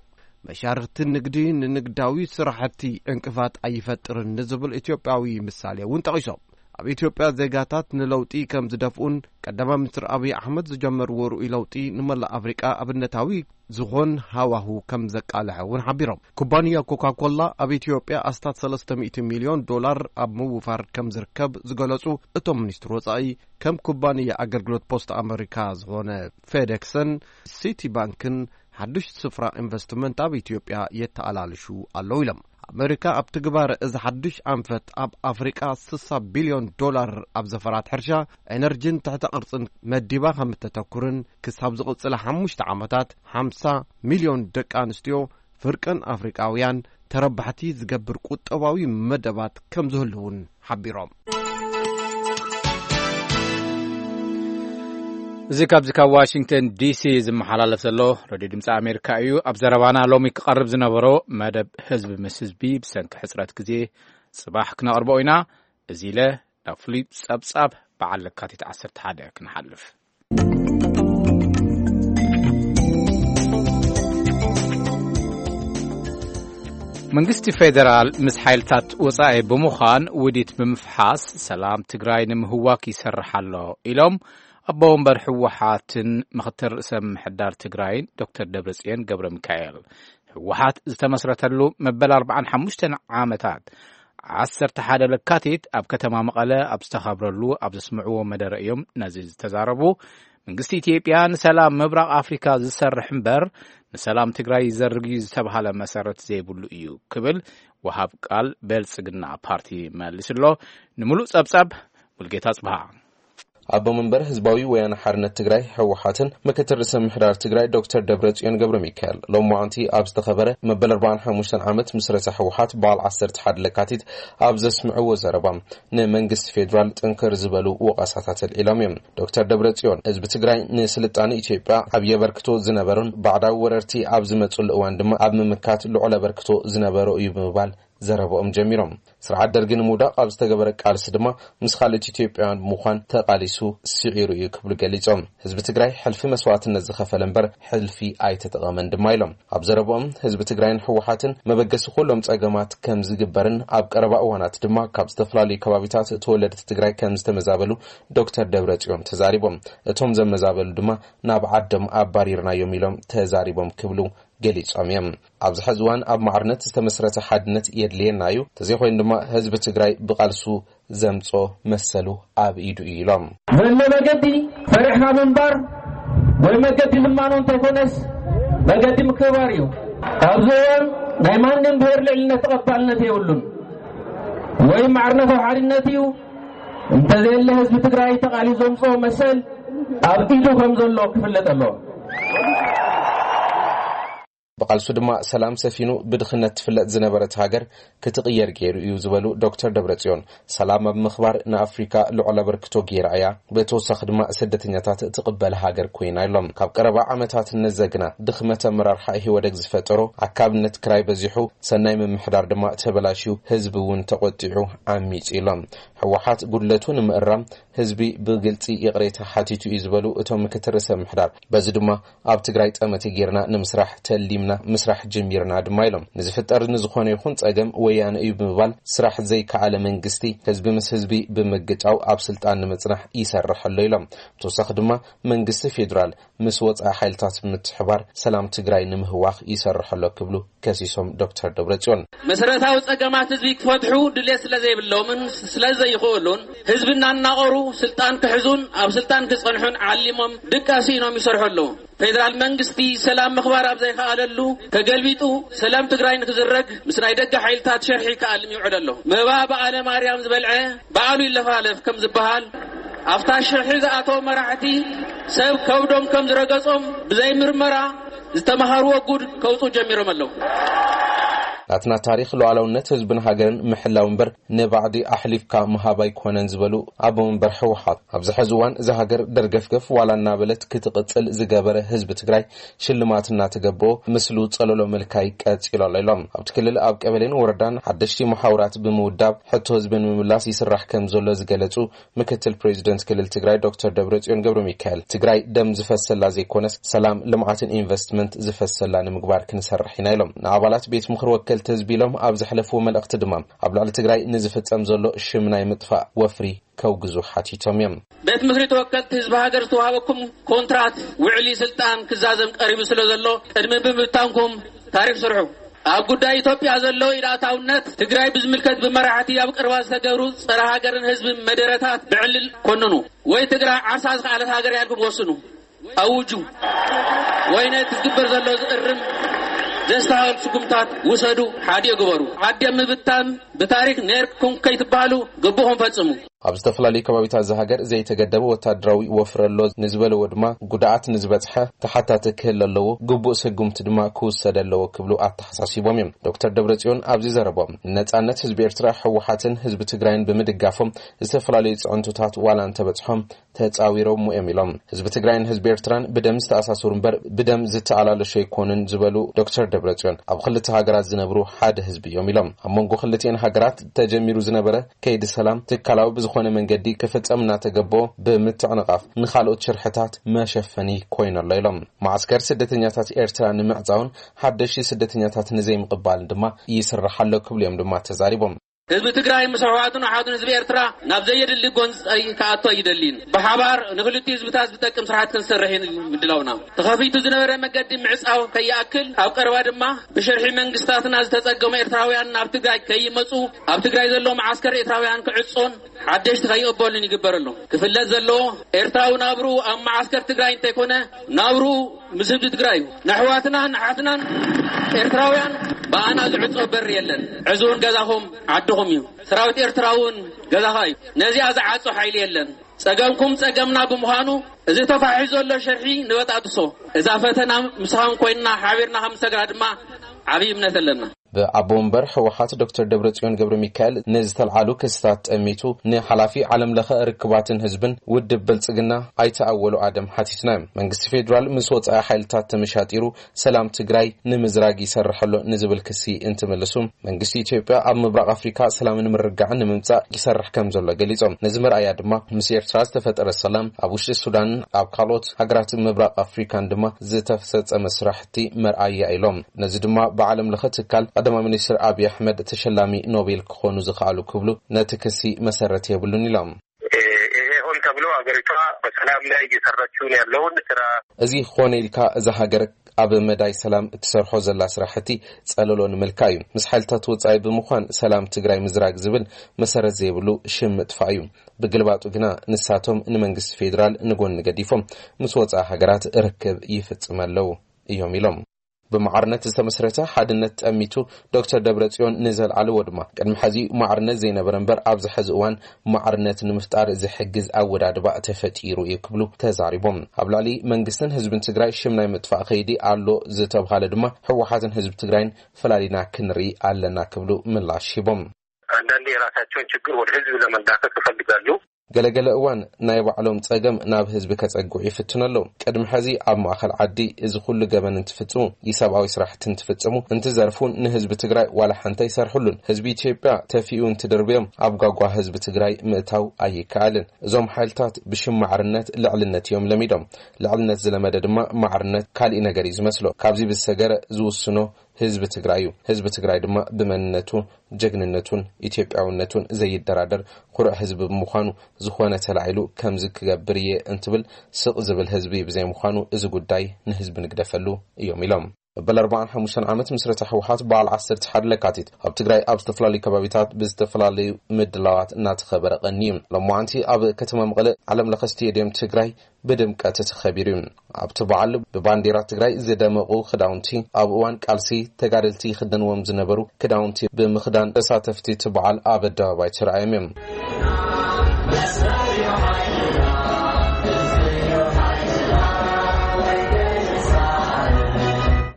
መሻርኽቲ ንግዲ ንንግዳዊ ስራሕቲ ዕንቅፋት ኣይፈጥርን ንዝብል ኢትዮጵያዊ ምሳሌ እውን ጠቒሶም። ኣብ ኢትዮጵያ ዜጋታት ንለውጢ ከም ዝደፍኡን ቀዳማይ ሚኒስትር ኣብይ ኣሕመድ ዝጀመርዎ ርኡይ ለውጢ ንመላእ ኣፍሪቃ ኣብነታዊ ዝኾን ሃዋሁ ከም ዘቃልሐ እውን ሓቢሮም። ኩባንያ ኮካኮላ ኣብ ኢትዮጵያ ኣስታት ሰለስተ ሚእቲ ሚልዮን ዶላር ኣብ ምውፋር ከም ዝርከብ ዝገለጹ እቶም ሚኒስትር ወጻኢ፣ ከም ኩባንያ ኣገልግሎት ፖስት ኣመሪካ ዝኾነ ፌዴክስን ሲቲ ባንክን ሓድሽ ስፍራ ኢንቨስትመንት ኣብ ኢትዮጵያ የተኣላልሹ ኣለዉ ኢሎም። ኣመሪካ ኣብ ትግባረ እዚ ሓድሽ ኣንፈት ኣብ ኣፍሪቃ ስሳ ቢልዮን ዶላር ኣብ ዘፈራት ሕርሻ፣ ኤነርጂን ትሕተ ቅርጽን መዲባ ከም እተተኩርን ክሳብ ዝቕጽላ ሓሙሽተ ዓመታት ሓምሳ ሚልዮን ደቂ ኣንስትዮ ፍርቅን ኣፍሪቃውያን ተረባሕቲ ዝገብር ቁጠባዊ መደባት ከም ዝህሉ እውን ሓቢሮም። እዚ ካብዚ ካብ ዋሽንግተን ዲሲ ዝመሓላለፍ ዘሎ ሬድዮ ድምፂ ኣሜሪካ እዩ። ኣብ ዘረባና ሎሚ ክቐርብ ዝነበሮ መደብ ህዝቢ ምስ ህዝቢ ብሰንኪ ሕፅረት ግዜ ፅባሕ ክነቕርቦ ኢና። እዚ ኢለ ናብ ፍሉይ ጸብጻብ በዓል ለካቲት ዓሰርተ ሓደ ክንሓልፍ። መንግስቲ ፌደራል ምስ ሓይልታት ወጻኢ ብምዃን ውዲት ብምፍሓስ ሰላም ትግራይ ንምህዋክ ይሰርሕ ኣሎ ኢሎም ኣቦ ወንበር ህወሓትን ምኽትል ርእሰ ምምሕዳር ትግራይን ዶክተር ደብረጽዮን ገብረ ሚካኤል። ህወሓት ዝተመስረተሉ መበል ኣርባዓን ሓሙሽተን ዓመታት ዓሰርተ ሓደ ለካቲት ኣብ ከተማ መቐለ ኣብ ዝተኸብረሉ ኣብ ዘስምዕዎ መደረ እዮም ነዚ ዝተዛረቡ። መንግስቲ ኢትዮጵያ ንሰላም ምብራቕ ኣፍሪካ ዝሰርሕ እምበር ንሰላም ትግራይ ይዘርግ እዩ ዝተብሃለ መሰረት ዘይብሉ እዩ ክብል ወሃብ ቃል ብልጽግና ፓርቲ መሊሱ ኣሎ። ንምሉእ ጸብጻብ ሙልጌታ ጽብሃ። ኣቦ መንበር ህዝባዊ ወያነ ሓርነት ትግራይ ህወሓትን ምክትል ርእሰ ምሕዳር ትግራይ ዶክተር ደብረጽዮን ገብረ ሚካኤል ሎማዓንቲ ኣብ ዝተኸበረ መበል ኣርባዓን ሓሙሽተን ዓመት ምስረታ ህወሓት በዓል ዓሰርተ ሓደ ለካቲት ኣብ ዘስምዕዎ ዘረባ፣ ንመንግስቲ ፌዴራል ጥንክር ዝበሉ ወቐሳታት ኣልዒሎም እዮም። ዶክተር ደብረጽዮን ህዝቢ ትግራይ ንስልጣነ ኢትዮጵያ ዓብዪ ኣበርክቶ ዝነበሮን ባዕዳዊ ወረርቲ ኣብ ዝመፅሉ እዋን ድማ ኣብ ምምካት ልዑል ኣበርክቶ ዝነበሮ እዩ ብምባል ዘረባኦም ጀሚሮም። ስርዓት ደርጊ ንምውዳቕ ኣብ ዝተገበረ ቃልሲ ድማ ምስ ካልኦት ኢትዮጵያውያን ብምዃን ተቓሊሱ ስዒሩ እዩ ክብሉ ገሊጾም። ህዝቢ ትግራይ ሕልፊ መስዋዕትነት ዝኸፈለ እምበር ሕልፊ ኣይተጠቐመን ድማ ኢሎም። ኣብ ዘረባኦም ህዝቢ ትግራይን ህወሓትን መበገሲ ኩሎም ጸገማት ከም ዝግበርን ኣብ ቀረባ እዋናት ድማ ካብ ዝተፈላለዩ ከባቢታት ተወለድቲ ትግራይ ከም ዝተመዛበሉ ዶክተር ደብረጽዮን ተዛሪቦም። እቶም ዘመዛበሉ ድማ ናብ ዓዶም ኣባሪርናዮም ኢሎም ተዛሪቦም ክብሉ ገሊጾም እዮም። ኣብዚ ሕዚ እዋን ኣብ ማዕርነት ዝተመስረተ ሓድነት የድልየና እዩ፣ ተዘይኮይኑ ድማ ህዝቢ ትግራይ ብቓልሱ ዘምጾ መሰሉ ኣብ ኢዱ እዩ ኢሎም። ዘሎ መገዲ ፈሪሕካ ምንባር ወይ መገዲ ልማኖ እንተይኮነስ መገዲ ምክብባር እዩ። ኣብዚ እዋን ናይ ማንም ብሄር ልዕልነት ተቐባልነት የብሉን። ወይ ማዕርነት ኣብ ሓድነት እዩ፣ እንተዘየለ ህዝቢ ትግራይ ተቓሊሱ ዘምጽኦ መሰል ኣብ ኢዱ ከም ዘሎ ክፍለጥ ኣለዎ። ብቓልሱ ድማ ሰላም ሰፊኑ ብድኽነት ትፍለጥ ዝነበረት ሃገር ክትቕየር ገይሩ እዩ ዝበሉ ዶክተር ደብረጽዮን፣ ሰላም ኣብ ምኽባር ንኣፍሪካ ልዑል ኣበርክቶ ገይራ እያ። ብተወሳኺ ድማ ስደተኛታት ትቕበል ሃገር ኮይና ኢሎም። ካብ ቀረባ ዓመታት ነዘግና ድኽመት ኣመራርሓ ኢህወደግ ዝፈጠሮ ኣካብነት ክራይ በዚሑ፣ ሰናይ ምምሕዳር ድማ ተበላሽዩ፣ ህዝቢ እውን ተቖጢዑ ዓሚጹ ኢሎም። ህወሓት ጉድለቱ ንምእራም ህዝቢ ብግልጺ ይቕሬታ ሓቲቱ እዩ ዝበሉ እቶም ምክትል ርእሰ ምምሕዳር፣ በዚ ድማ ኣብ ትግራይ ጠመተ ጌርና ንምስራሕ ተሊምና ምስራሕ ጀሚርና ድማ ኢሎም። ንዝፍጠር ንዝኾነ ይኹን ጸገም ወያነ እዩ ብምባል ስራሕ ዘይከኣለ መንግስቲ ህዝቢ ምስ ህዝቢ ብምግጫው ኣብ ስልጣን ንምጽናሕ ይሰርሕ ኣሎ ኢሎም። ብተወሳኺ ድማ መንግስቲ ፌዴራል ምስ ወጻኢ ሓይልታት ብምትሕባር ሰላም ትግራይ ንምህዋኽ ይሰርሕ ኣሎ ክብሉ ከሲሶም ዶክተር ደብረጽዮን። መሰረታዊ ጸገማት ህዝቢ ክፈትሑ ድሌት ስለ ዘይብሎምን ስለ ዘይኽእሉን ህዝቢ እናናቐሩ ስልጣን ክሕዙን ኣብ ስልጣን ክጸንሑን ዓሊሞም ድቃስ ኢኖም ይሰርሑ ኣለዉ። ፌደራል መንግስቲ ሰላም ምኽባር ኣብ ዘይከኣለሉ ተገልቢጡ ሰላም ትግራይ ንክዝረግ ምስ ናይ ደገ ሓይልታት ሸርሒ ክኣልም ይውዕል ኣሎ። መባ በዓለ ማርያም ዝበልዐ በዓሉ ይለፋለፍ ከም ዝበሃል ኣብታ ሽርሒ ዝኣተው መራሕቲ ሰብ ከብዶም ከም ዝረገጾም ብዘይ ምርመራ ዝተምሃርዎ ጉድ ከውጹ ጀሚሮም ኣለዉ። ናትና ታሪኽ ሉዓላውነት ህዝብን ሃገርን ምሕላው እምበር ንባዕዲ ኣሕሊፍካ ምሃብ ኣይኮነን ዝበሉ ኣቦ መንበር ህወሓት፣ ኣብዚ ሕዚ እዋን እዛ ሃገር ደርገፍገፍ ዋላ እናበለት ክትቕጽል ዝገበረ ህዝቢ ትግራይ ሽልማት እናተገበኦ ምስሉ ጸለሎ ምልካይ ቀጺሉ ኣሎ ኢሎም። ኣብቲ ክልል ኣብ ቀበሌን ወረዳን ሓደሽቲ መሓውራት ብምውዳብ ሕቶ ህዝቢ ንምምላስ ይስራሕ ከም ዘሎ ዝገለጹ ምክትል ፕሬዚደንት ክልል ትግራይ ዶክተር ደብረጽዮን ገብረ ሚካኤል፣ ትግራይ ደም ዝፈሰላ ዘይኮነስ ሰላም፣ ልምዓትን ኢንቨስትመንት ዝፈሰላ ንምግባር ክንሰርሕ ኢና ኢሎም። ንኣባላት ቤት ምኽሪ ወከልቲ ህዝቢ ኢሎም ኣብ ዘሕለፍዎ መልእኽቲ ድማ ኣብ ልዕሊ ትግራይ ንዝፍጸም ዘሎ ሽም ናይ ምጥፋእ ወፍሪ ከውግዙ ሓቲቶም እዮም። ቤት ምኽሪ ተወከልቲ ህዝቢ ሃገር ዝተዋሃበኩም ኮንትራት ውዕሊ ስልጣን ክዛዘም ቀሪቡ ስለ ዘሎ ቅድሚ ምብታንኩም ታሪፍ ስርሑ። ኣብ ጉዳይ ኢትዮጵያ ዘሎ ኢድ ኣእታውነት ትግራይ ብዝምልከት ብመራሕቲ ኣብ ቅርባ ዝተገብሩ ጸረ ሃገርን ህዝብን መደረታት ብዕልል ኮንኑ። ወይ ትግራይ ዓርሳ ዝኸኣለት ሃገር እያ ኢልኩም ወስኑ፣ ኣውጁ። ወይ ነቲ ዝግበር ዘሎ ዝእርም ዘስተኻኽል ስጉምታት ውሰዱ፣ ሓዲኡ ግበሩ። ዓዲ ኣብ ምብታን ብታሪክ ነይርኩም ከይትበሃሉ ግቡኹም ፈጽሙ። ኣብ ዝተፈላለዩ ከባቢታት እዛ ሃገር ዘይተገደበ ወታደራዊ ወፍሪ ኣሎ ንዝበለዎ ድማ፣ ጉድኣት ንዝበፅሐ ተሓታቲ ክህል ኣለዎ፣ ግቡእ ስጉምቲ ድማ ክውሰድ ኣለዎ ክብሉ ኣተሓሳሲቦም እዮም። ዶክተር ደብረጽዮን ኣብዚ ዘረቦም፣ ንነጻነት ህዝቢ ኤርትራ፣ ህወሓትን ህዝቢ ትግራይን ብምድጋፎም ዝተፈላለዩ ፅዕንቶታት ዋላ እንተበፅሖም ተፃዊሮም እዮም ኢሎም። ህዝቢ ትግራይን ህዝቢ ኤርትራን ብደም ዝተኣሳሰሩ እምበር ብደም ዝተኣላለሹ ኣይኮኑን ዝበሉ ዶክተር ደብረጽዮን፣ ኣብ ክልተ ሃገራት ዝነብሩ ሓደ ህዝቢ እዮም ኢሎም። ኣብ መንጎ ክልቲኤን ሃገራት ተጀሚሩ ዝነበረ ከይዲ ሰላም ትካላዊ ብዝኾነ መንገዲ ክፍጸም እናተገበኦ ብምትዕንቓፍ ንኻልኦት ሽርሕታት መሸፈኒ ኮይኑ ኣሎ ኢሎም። ማዕስከር ስደተኛታት ኤርትራ ንምዕጻውን ሓደሽቲ ስደተኛታት ንዘይምቕባልን ድማ ይስራሕ ኣሎ ክብሉ እዮም ድማ ተዛሪቦም። ህዝቢ ትግራይ ምስ ኣሕዋቱን ኣሓቱን ህዝቢ ኤርትራ ናብ ዘየድሊ ጎንፂ ክኣቱ ኣይደልን። ብሓባር ንክልቲኡ ህዝብታት ዝጠቅም ስራሕቲ ክንሰርሕ ምድላውና። ተኸፊቱ ዝነበረ መገዲ ምዕፃው ከይኣክል፣ ኣብ ቀረባ ድማ ብሽርሒ መንግስታትና ዝተፀገሙ ኤርትራውያን ናብ ትግራይ ከይመፁ፣ ኣብ ትግራይ ዘሎ መዓስከር ኤርትራውያን ክዕፆን ሓደሽቲ ከይቕበሉን ይግበር ኣሎ። ክፍለጥ ዘለዎ፣ ኤርትራዊ ናብርኡ ኣብ መዓስከር ትግራይ እንተይኮነ፣ ናብርኡ ምስ ህዝቢ ትግራይ እዩ። ንኣሕዋትናን ኣሓትናን ኤርትራውያን ብኣና ዝዕጾ በሪ የለን። ዕዙውን ገዛኹም ዓድኹም እዩ። ሰራዊት ኤርትራ እውን ገዛኻ እዩ። ነዚኣ ዝዓጾ ሓይሊ የለን። ጸገምኩም ጸገምና ብምዃኑ፣ እዚ ተፋሒሱ ዘሎ ሽርሒ ንበጣጥሶ። እዛ ፈተና ምሳኹም ኮይንና ሓቢርና ከም ንሰግራ ድማ ዓብዪ እምነት ኣለና። ብኣቦ ወንበር ህወሓት ዶክተር ደብረጽዮን ገብረ ሚካኤል ንዝተልዓሉ ክስታት ጠሚቱ፣ ንሓላፊ ዓለም ለኸ ርክባትን ህዝብን ውድብ ብልጽግና ኣይተ ኣወሉ ኣደም ሓቲትና። መንግስቲ ፌዴራል ምስ ወጻኢ ሓይልታት ተመሻጢሩ ሰላም ትግራይ ንምዝራግ ይሰርሕ ኣሎ ንዝብል ክሲ እንትምልሱ፣ መንግስቲ ኢትዮጵያ ኣብ ምብራቕ ኣፍሪካ ሰላምን ምርግጋዕን ንምምጻእ ይሰርሕ ከም ዘሎ ገሊጾም። ነዚ መርኣያ ድማ ምስ ኤርትራ ዝተፈጠረ ሰላም ኣብ ውሽጢ ሱዳንን ኣብ ካልኦት ሃገራት ምብራቕ ኣፍሪካን ድማ ዝተፈጸመ ስራሕቲ መርኣያ ኢሎም። ነዚ ድማ ብዓለም ለኸ ትካል ቀዳማይ ሚኒስትር ኣብይ ኣሕመድ ተሸላሚ ኖቤል ክኾኑ ዝኸኣሉ ክብሉ ነቲ ክሲ መሰረት የብሉን ኢሎም። ይሄ ሆን ተብሎ ሀገሪቷ በሰላም ላይ እየሰራችው ነው ያለውን ስራ እዚ ኾነ ኢልካ እዛ ሃገር ኣብ መዳይ ሰላም እትሰርሖ ዘላ ስራሕቲ ጸለሎ ንምልካ እዩ። ምስ ሓይልታት ወጻኢ ብምዃን ሰላም ትግራይ ምዝራግ ዝብል መሰረት ዘይብሉ ሽም ምጥፋእ እዩ። ብግልባጡ ግና ንሳቶም ንመንግስቲ ፌዴራል ንጎኒ ገዲፎም ምስ ወጻኢ ሃገራት ርክብ ይፍጽም ኣለዉ እዮም ኢሎም። ብማዕርነት ዝተመስረተ ሓድነት ጠሚቱ ዶክተር ደብረጽዮን ንዘልዓልዎ ድማ፣ ቅድሚ ሕዚ ማዕርነት ዘይነበረ እምበር ኣብዚ ሕዚ እዋን ማዕርነት ንምፍጣር ዝሕግዝ ኣወዳድባ ተፈጢሩ እዩ ክብሉ ተዛሪቦም። ኣብ ልዕሊ መንግስትን ህዝብን ትግራይ ሽም ናይ ምጥፋእ ከይዲ ኣሎ ዝተብሃለ ድማ፣ ህወሓትን ህዝቢ ትግራይን ፈላሊና ክንርኢ ኣለና ክብሉ ምላሽ ሂቦም። አንዳንዴ የራሳቸውን ችግር ወደ ህዝብ ለመላከክ ይፈልጋሉ። ገለገለ እዋን ናይ ባዕሎም ጸገም ናብ ህዝቢ ከጸግዑ ይፍትኑ ኣለዉ። ቅድሚ ሕዚ ኣብ ማእኸል ዓዲ እዚ ኩሉ ገበን እንትፍጽሙ፣ ኢሰብኣዊ ስራሕቲ እንትፍጽሙ፣ እንትዘርፉን ንህዝቢ ትግራይ ዋላ ሓንቲ ኣይሰርሕሉን። ህዝቢ ኢትዮጵያ ተፊኡ እንትድርብዮም ኣብ ጓጓ ህዝቢ ትግራይ ምእታው ኣይከኣልን። እዞም ሓይልታት ብሽም ማዕርነት ልዕልነት እዮም ለሚዶም። ልዕልነት ዝለመደ ድማ ማዕርነት ካሊእ ነገር እዩ ዝመስሎ። ካብዚ ብዝሰገረ ዝውስኖ ህዝቢ ትግራይ እዩ። ህዝቢ ትግራይ ድማ ብመንነቱ፣ ጀግንነቱን ኢትዮጵያውነቱን ዘይደራደር ኩሩዕ ህዝቢ ብምዃኑ፣ ዝኾነ ተላዒሉ ከምዚ ክገብር እየ እንትብል ስቕ ዝብል ህዝቢ ብዘይምዃኑ፣ እዚ ጉዳይ ንህዝቢ ንግደፈሉ እዮም ኢሎም። መበል ኣርባዓን ሓሙሽተን ዓመት ምስረታ ህወሓት በዓል ዓሰርተ ሓደ ለካቲት ኣብ ትግራይ ኣብ ዝተፈላለዩ ከባቢታት ብዝተፈላለዩ ምድላዋት እናተኸበረ ቀንዩ። ሎማዓንቲ ኣብ ከተማ መቐለ ዓለም ለኸ ስቴድየም ትግራይ ብድምቀት ተኸቢሩ እዩ። ኣብቲ በዓል ብባንዴራ ትግራይ ዝደመቑ ክዳውንቲ፣ ኣብ እዋን ቃልሲ ተጋደልቲ ይኽደንዎም ዝነበሩ ክዳውንቲ ብምኽዳን ተሳተፍቲ እቲ በዓል ኣብ ኣደባባይ ተራእዮም እዮም።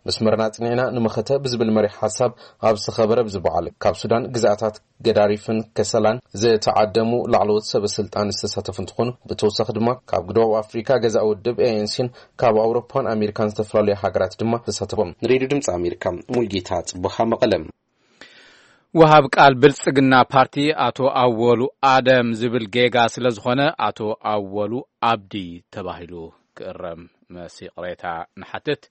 መስመርና ጽኒዕና ንመኸተ ብዝብል መሪሕ ሓሳብ ኣብ ዝተኸበረ ብዚ በዓል ካብ ሱዳን ግዝኣታት ገዳሪፍን ከሰላን ዝተዓደሙ ላዕለዎት ሰበ ስልጣን ዝተሳተፉ እንትኾኑ፣ ብተወሳኺ ድማ ካብ ደቡብ ኣፍሪካ ገዛኢ ውድብ ኤ ኤን ሲን ካብ ኣውሮፓን ኣሜሪካን ዝተፈላለዩ ሃገራት ድማ ዝተሳተፎም። ንሬድዮ ድምፂ ኣሜሪካ ሙልጌታ ጽቡኻ መቐለ። ወሃብ ቃል ብልጽግና ፓርቲ ኣቶ ኣወሉ ኣደም ዝብል ጌጋ ስለ ዝኾነ ኣቶ ኣወሉ ኣብዲ ተባሂሉ ክእረም መሲ ቅሬታ ንሓትት።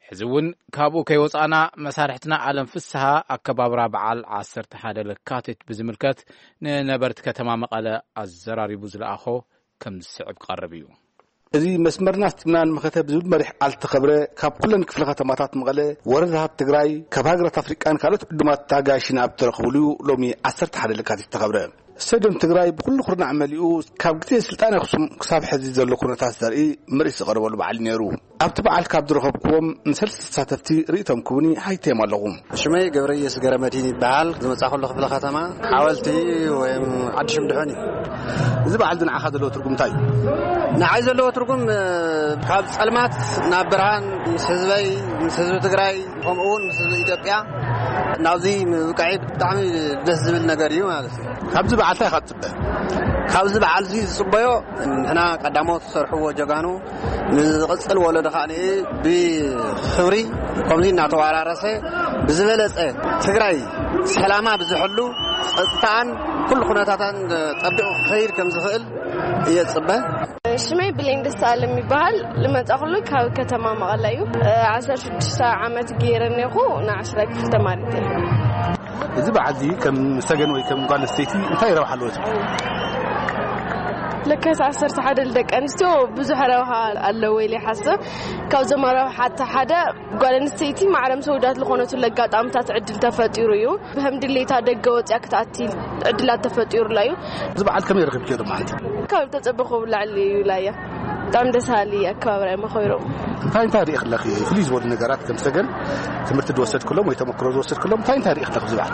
ሕዚ እውን ካብኡ ከይወጻእና መሳርሕትና ኣለም ፍስሃ ኣከባብራ በዓል ዓሰርተ ሓደ ለካቲት ብዝምልከት ንነበርቲ ከተማ መቐለ ኣዘራሪቡ ዝለኣኾ ከም ዝስዕብ ክቐርብ እዩ። እዚ መስመርና ኣስጢምና ንመኸተ ብዝብል መሪሕ ቃል ዝተኸብረ ካብ ኩለን ክፍለ ከተማታት መቐለ፣ ወረዳታት ትግራይ፣ ካብ ሃገራት ኣፍሪቃን ካልኦት ዕዱማት ኣጋይሽን ኣብ ተረኽብሉ እዩ ሎሚ ዓሰርተ ሓደ ለካቲት ዝተኸብረ። ስቴድዮም ትግራይ ብኩሉ ኩርናዕ መሊኡ ካብ ግዜ ስልጣን ኣኽሱም ክሳብ ሕዚ ዘሎ ኩነታት ዘርኢ ምርኢት ዝቐረበሉ በዓል ነይሩ። ኣብቲ በዓል ካብ ዝረኸብኩዎም ንሰለስተ ተሳተፍቲ ርእይቶም ክቡኒ ሓይተዮም ኣለኹ። ሽመይ ገብረየስ ገረመድህን ይበሃል። ዝመጻ ከሎ ክፍለ ከተማ ሓወልቲ ወይም ዓዲ ሽምድሖን እዩ። እዚ በዓል እዚ ንዓኻ ዘለዎ ትርጉም እንታይ እዩ? ንዓይ ዘለዎ ትርጉም፣ እ፣ ካብ ጸልማት ናብ ብርሃን፣ ምስ ህዝበይ፣ ምስ ህዝቢ ትግራይ፣ ከምኡ እውን ምስ ህዝቢ ኢትዮጵያ ናብዚ ምብቃዐይ ብጣዕሚ ደስ ዝብል ነገር እዩ ማለት እዩ። ካብዚ በዓል እንታይ ኢኻ ትጽበ? ካብዚ በዓል እዚ ዝጽበዮ፣ ንሕና ቀዳሞት ዝሰርሕዎ ጀጋኑ ንዝቕጽል ወለዶ ከዓ ብኽብሪ ከምዚ እናተወራረሰ ብዝበለጸ ትግራይ ሰላማ ብዝሕሉ፣ ጸጥታኣን ኩሉ ኩነታታን ጠቢቑ ክኸይድ ከም ዝኽእል እየ ዝጽበ። ሽመይ ብሌን ደስታኣለም ይበሃል። ልመጻ ኩሉ ካብ ከተማ መቐለ እዩ። እ፣ ዓሰርተ ሽዱሽተ ዓመት ገይረ እኔኹ፣ ንዓሽራይ ክፍሊ ተማሪት እየ። እዚ በዓል እዚ ከም ሰገን ወይ ከም ጓል ኣንስተይቲ እንታይ ረብሓ ኣለዎ ትብሊ? ለካስ ዓሰርተ ሓደ ንደቂ ኣንስትዮ ብዙሕ ረብሓ ኣለዎ ኢለ ይሓስብ። ካብዞም ረብሓታ ሓደ ጓል ኣንስተይቲ ማዕረ ምስ ኣወዳት ዝኾነትሉ ኣጋጣምታት ዕድል ተፈጢሩ እዩ። ብህም ድሌታ ደገ ወፂኣ ክትኣቲ ዕድላት ተፈጢሩላ እዩ። እዚ በዓል ከመይ ረኺብክዮ ዶ ማለት እዩ? ካብ ተጸበኹ ብላዕሊ እዩ ላያ። ብጣዕሚ ደስ በሃሊ ኣከባብራ እዮም ኣኸቢሮም። እንታይ እንታይ ርኢኽለኺ? ፍልይ ዝበሉ ነገራት ከም ሰገን ትምህርቲ ዝወሰድክሎም ወይ ተመክሮ ዝወሰድክሎም እንታይ እንታይ ርኢኽለኺ ኣብዚ በዓል?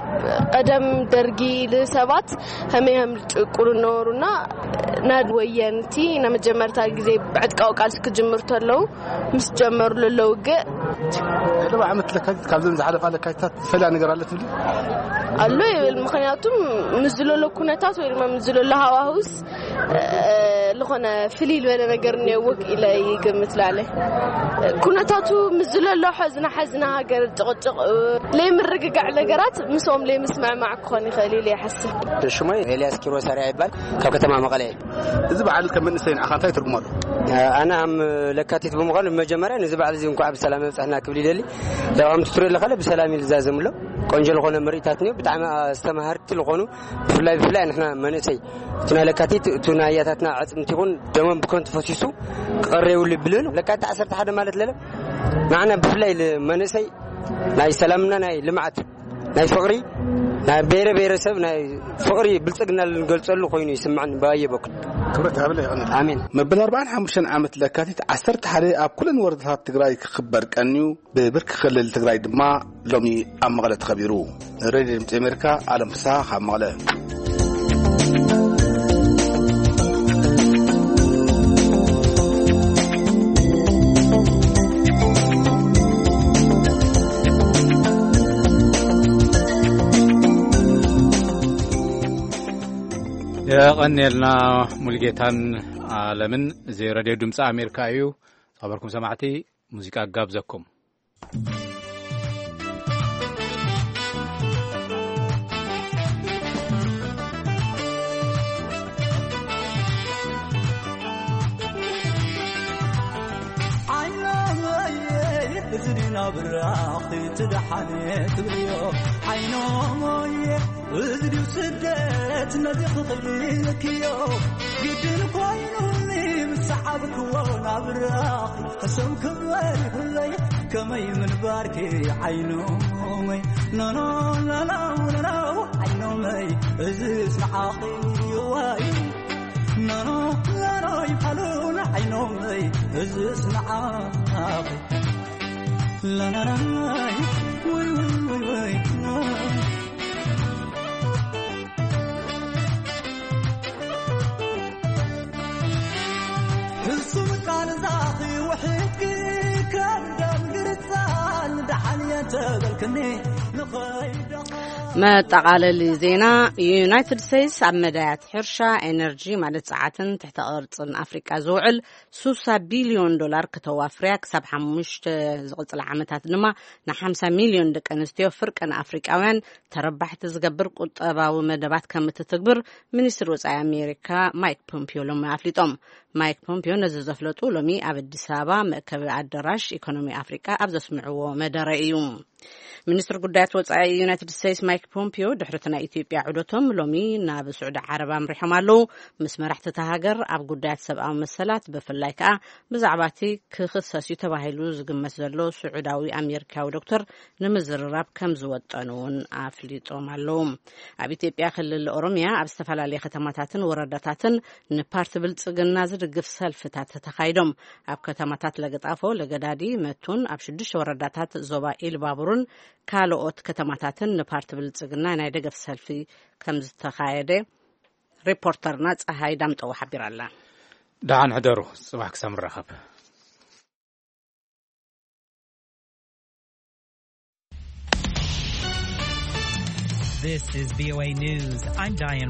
ቀደም ደርጊ ንሰባት ከመይ ከም ዝጭቁኑ ነበሩና፣ ናብ ወየንቲ ንመጀመርታ ግዜ ብዕጥቃዊ ቃልሲ ክጅምር ተለዉ ምስ ጀመሩ ለሎ ውግእ። ቅድሚ ዓመት ለካቲት ካብዘን ዝሓለፋ ለካቲታት ዝፈልያ ነገር ኣሎ ትብሊ? ኣሎ ይብል። ምኽንያቱም ምስ ዝለሎ ኩነታት ወይ ድማ ምስ ዝለሎ ሃዋህውስ፣ እ፣ ዝኾነ ፍልይ ዝበለ ነገር እኒኦ ኢለ ይግምት ላለ። ኩነታቱ ምስ ዝለሎ ሕዝና ሕዝና ሃገር ጭቕጭቕ፣ እ፣ ለይምርግጋዕ ነገራት ምስኦም ለይምስምዕማዕ ክኾን ይኽእል ኢለ ይሓስብ። ሽሞይ ኤልያስ ኪሮስ ኣርያ ይባል፣ ካብ ከተማ መቐለ እየ። እዚ በዓል ከም መንእሰይ ንዓኻ እንታይ ትርጉም ኣለዎ? ኣነ ኣም ለካቲት ብምዃኑ ብመጀመርያ ነዚ በዓል እዚ እንኳዕ ብሰላም የብፅሕና ክብል ይደሊ። ያው ኣምቲ ትሪኦ ኣለኻ ብሰላም እዩ ዝዛዘም ኣሎ። ቆንጆ ዝኾነ ምርኢታት እኒኦ፣ ብጣዕሚ ኣስተማሃርቲ ዝኾኑ፣ ብፍላይ ብፍላይ ንሕና መንእሰይ እቲ ናይ ለካቲት እቲ ናይ ኣያታትና ኣዕፅምቲ ይኹን ደሞም ብከንቱ ፈሲሱ ክቐረ የብሉ ይብልን። ለካቲት ዓሰርተ ሓደ ማለት ለለ ንዓና ብፍላይ መንእሰይ ናይ ሰላምና ናይ ልምዓት ናይ ፍቕሪ ናይ ብሄረ ብሄረሰብ ናይ ፍቕሪ ብልጽግና ልንገልጸሉ ኮይኑ ይስምዓኒ ብኣየ በኩል። ክብረት ይሃበለ ይቐንል። ኣሜን። መበል ኣርባዓን ሓሙሽተን ዓመት ለካቲት ዓሰርተ ሓደ ኣብ ኩለን ወረዳታት ትግራይ ክኽበር ቀንዩ፣ ብብርኪ ክልል ትግራይ ድማ ሎሚ ኣብ መቐለ ተኸቢሩ። ሬድዮ ድምፂ ኣሜሪካ፣ ኣለም ፍስሃ ካብ መቐለ። የቐንየልና ሙልጌታን ኣለምን። እዚ ሬድዮ ድምፂ ኣሜሪካ እዩ። ዝኸበርኩም ሰማዕቲ፣ ሙዚቃ ጋብዘኩም። ዓይኖመየ፣ እዚ ድዩ ናብ ራኽቲ ትደሓነ ትብልዮ? ዓይኖመየ፣ እዚ ድዩ ስደት ነዚ ክኽልክዮ? ግድን ኮይኑኒ ምስ ሰዓብክዎ ናብ ራኽቲ ሕሱም ክበል ይብለይ ከመይ ምንባርኪ ዓይኖመይ? ኖኖ ላላው ላላው ዓይኖመይ፣ እዚ ስምዓኺ ይዋይ። ኖኖ ላላው ይብሓሉን ዓይኖመይ፣ እዚ ስምዓኺ ላላላይ ወይ ወይ ወይ ወይ። ሕሱም ቃል ዛኺ ውሕድኪ ከም ደም ግርጻን ደሓን የተበልክኒ ንኸይደኻ። መጠቓለሊ ዜና። ዩናይትድ ስቴትስ ኣብ መዳያት ሕርሻ፣ ኤነርጂ ማለት ጸዓትን ትሕተ ቅርጽን ኣፍሪቃ ዝውዕል ሱሳ ቢልዮን ዶላር ከተዋፍርያ፣ ክሳብ ሓሙሽተ ዝቕጽላ ዓመታት ድማ ንሓምሳ ሚልዮን ደቂ ኣንስትዮ ፍርቂ ንኣፍሪቃውያን ተረባሕቲ ዝገብር ቁጠባዊ መደባት ከም እትትግብር ሚኒስትር ወጻኢ ኣሜሪካ ማይክ ፖምፒዮ ሎሚ ኣፍሊጦም። ማይክ ፖምፒዮ ነዚ ዘፍለጡ ሎሚ ኣብ ኣዲስ ኣበባ መእከቢ ኣዳራሽ ኢኮኖሚ ኣፍሪቃ ኣብ ዘስምዕዎ መደረ እዩ። ሚኒስትር ጉዳያት ወጻኢ ዩናይትድ ስቴትስ ማይክ ፖምፒዮ ድሕሪ እቲ ናይ ኢትዮጵያ ዑደቶም ሎሚ ናብ ስዑዲ ዓረብ ኣምሪሖም ኣለዉ። ምስ መራሕቲ እታ ሃገር ኣብ ጉዳያት ሰብኣዊ መሰላት፣ ብፍላይ ከኣ ብዛዕባ እቲ ክኽሰስ እዩ ተባሂሉ ዝግመት ዘሎ ስዑዳዊ ኣሜሪካዊ ዶክተር ንምዝርራብ ከም ዝወጠኑ እውን ኣፍሊጦም ኣለዉ። ኣብ ኢትዮጵያ ክልል ኦሮሚያ ኣብ ዝተፈላለየ ከተማታትን ወረዳታትን ንፓርቲ ብልጽግና ዝድግፍ ሰልፍታት ተኻይዶም። ኣብ ከተማታት ለገጣፎ፣ ለገዳዲ፣ መቱን ኣብ ሽዱሽተ ወረዳታት ዞባ ኢሉባቡርን ካልኦት ከተማታትን ንፓርቲ ብልጽግና ናይ ደገፍ ሰልፊ ከም ዝተኻየደ ሪፖርተርና ጸሃይ ዳምጠው ሓቢራ ኣላ። ደሓን ሕደሩ፣ ጽባሕ ክሳብ ንራኸብ። This is V O A News. I'm Diane